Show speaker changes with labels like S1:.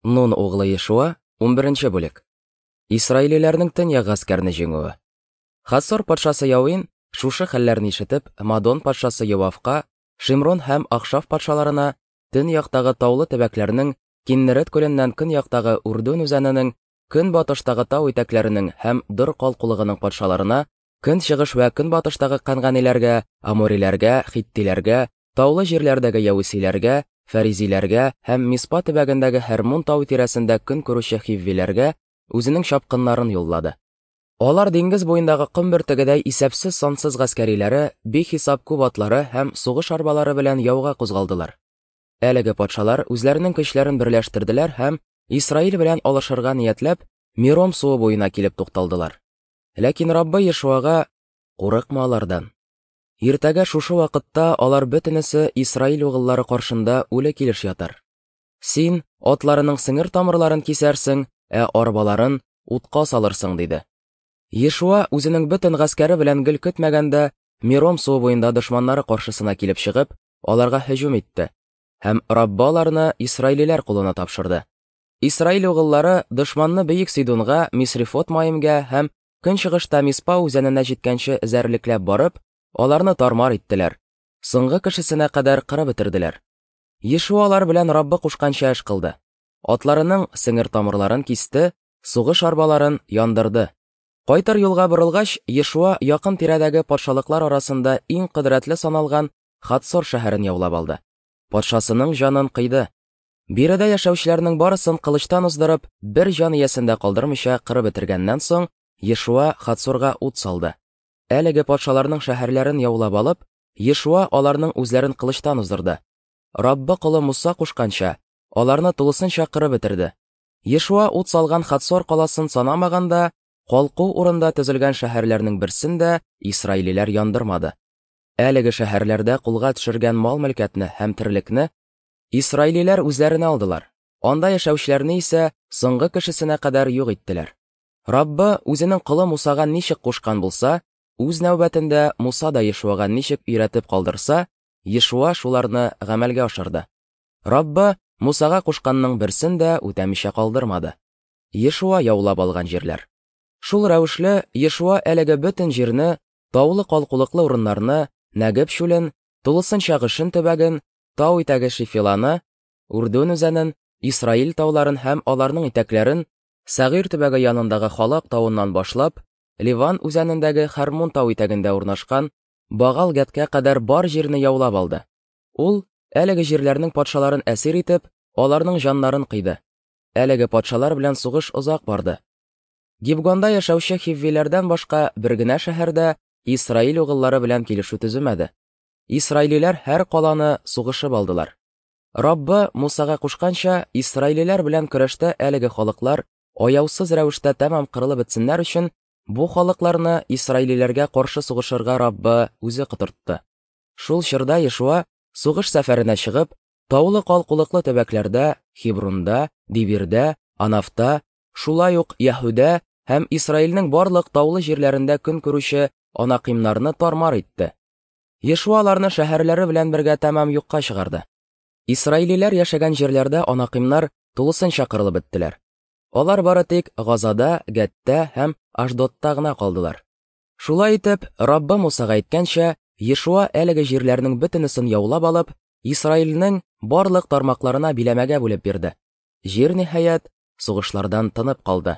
S1: Нун углы Ешуа, 11 бүлек. Исраилиләрнең төньяк гаскәрне җиңүе. Хасор патшасы Яуин, шушы хәлләрне ишетеп, Мадон патшасы Йовавка, Шимрон һәм Ахшаф патшаларына, төньяктагы таулы төбәкләрнең, Киннерет күленнән көньяктагы Урдун үзәненең, көнбатыштагы тау итәкләренең һәм Дор калкулыгының патшаларына, көнчыгыш вә көнбатыштагы канганиләргә, амориләргә, хиттиләргә, таулы җирләрдәге яүсиләргә, фәризиләргә һәм Миспа төбәгендәге Һәрмун тау тирәсендә көн күрүче хиввиләргә үзенең чапкыннарын юллады. Алар диңгез буендагы ком бөртегедәй исәпсез-сансыз гаскәриләре, бихисап күп атлары һәм сугыш арбалары белән яуга кузгалдылар. Әлеге патшалар үзләренең көчләрен берләштерделәр һәм Исраил белән алышырга ниятләп, Миром суы буена килеп тукталдылар. Ләкин Раббы Ешуага: "Курыкма алардан. Иртәгә шушы вакытта алар бөтенесе Исраил угыллары каршында үле килеш ятар. Син атларының сеңер тамырларын кисәрсең, ә арбаларын утка салырсың, диде. Ешуа үзенең бөтен гаскәре белән гел көтмәгәндә Миром суы буенда дошманнары каршысына килеп чыгып, аларга һөҗүм итте һәм Раббы аларны исраилиләр кулына тапшырды. Исраил угыллары дошманны Бөек Сидунга, Мисрифот Маимгә һәм көнчыгышта Миспа үзәненә җиткәнче эзәрлекләп барып, аларны тармар иттеләр, соңгы кешесенә кадәр кырып бетерделәр. Ешуа алар белән Раббы кушканча эш кылды. Атларының сеңер тамырларын кисте, сугыш арбаларын яндырды. Кайтыр юлга борылгач, Ешуа якын тирәдәге патшалыклар арасында иң кодрәтле саналган Хатсор шәһәрен яулап алды. Патшасының җанын кыйды. Биредә яшәүчеләрнең барысын кылычтан уздырып, бер җан иясен дә калдырмыйча кырып бетергәннән соң, Ешуа Хатсорга ут салды. Әлеге патшаларның шәһәрләрен яулап алып, Ешуа аларның үзләрен кылычтан уздырды. Раббы колы Муса кушканча, аларны тулысынча кырып бетерде. Ешуа ут салган Хатсор каласын санамаганда, калку урында төзелгән шәһәрләрнең берсен дә исраилиләр яндырмады. Әлеге шәһәрләрдә кулга төшергән мал-мөлкәтне һәм терлекне исраилиләр үзләренә алдылар. Анда яшәүчеләрне исә соңгы кешесенә кадәр юк иттеләр. Раббы үзенең колы Мусага ничек кушкан булса, үз нәүбәтендә Муса да Ешуага ничек өйрәтеп калдырса, Ешуа шуларны гамәлгә ашырды. Раббы Мусага кушканның берсен дә үтәмичә калдырмады. Ешуа яулап алган җирләр. Шул рәвешле Ешуа әлеге бөтен җирне, таулы калкулыклы урыннарны, Нәгеб чүлен, тулысынча Гышын төбәген, тау итәге Шифиланы, Үрдүн үзәнен, Исраил тауларын һәм аларның итәкләрен, Сәгыйр төбәге янындагы Халак тавыннан башлап, Ливан үзәнендәге Хәрмун тау итәгендә урнашкан Багал Гәткә кадәр бар җирне яулап алды. Ул, әлеге җирләрнең патшаларын әсир итеп, аларның җаннарын кыйды. Әлеге патшалар белән сугыш озак барды. Гибгонда яшәүче хиввиләрдән башка бер генә шәһәр дә Исраил угыллары белән килешү төземәде. Исраилиләр һәр каланы сугышып алдылар. Раббы Мусага кушканча, исраилиләр белән көрәштә әлеге халыклар аяусыз рәвештә тәмам кырылып бетсеннәр өчен, бу халыкларны исраилиләргә каршы сугышырга Раббы үзе котыртты. Шул чорда Ешуа сугыш сәфәренә чыгып, таулы калкулыклы төбәкләрдә, Хибрунда, Дибирдә, Анафта, шулай ук Яһүдә һәм Исраилнең барлык таулы җирләрендә көн күрүче анакимнарны тармар итте. Ешуа аларны шәһәрләре белән бергә тәмам юкка чыгарды. Исраилиләр яшәгән җирләрдә анакимнар тулысынча кырылып беттеләр. Алар бары тик Газада, Гәттә һәм Ашдодта гына калдылар. Шулай итеп, Раббы Мусага әйткәнчә, Ешуа әлеге җирләрнең бөтенесен яулап алып, Исраилнең барлык тармакларына биләмәгә бүлеп бирде. Җир, ниһаять, сугышлардан тынып калды.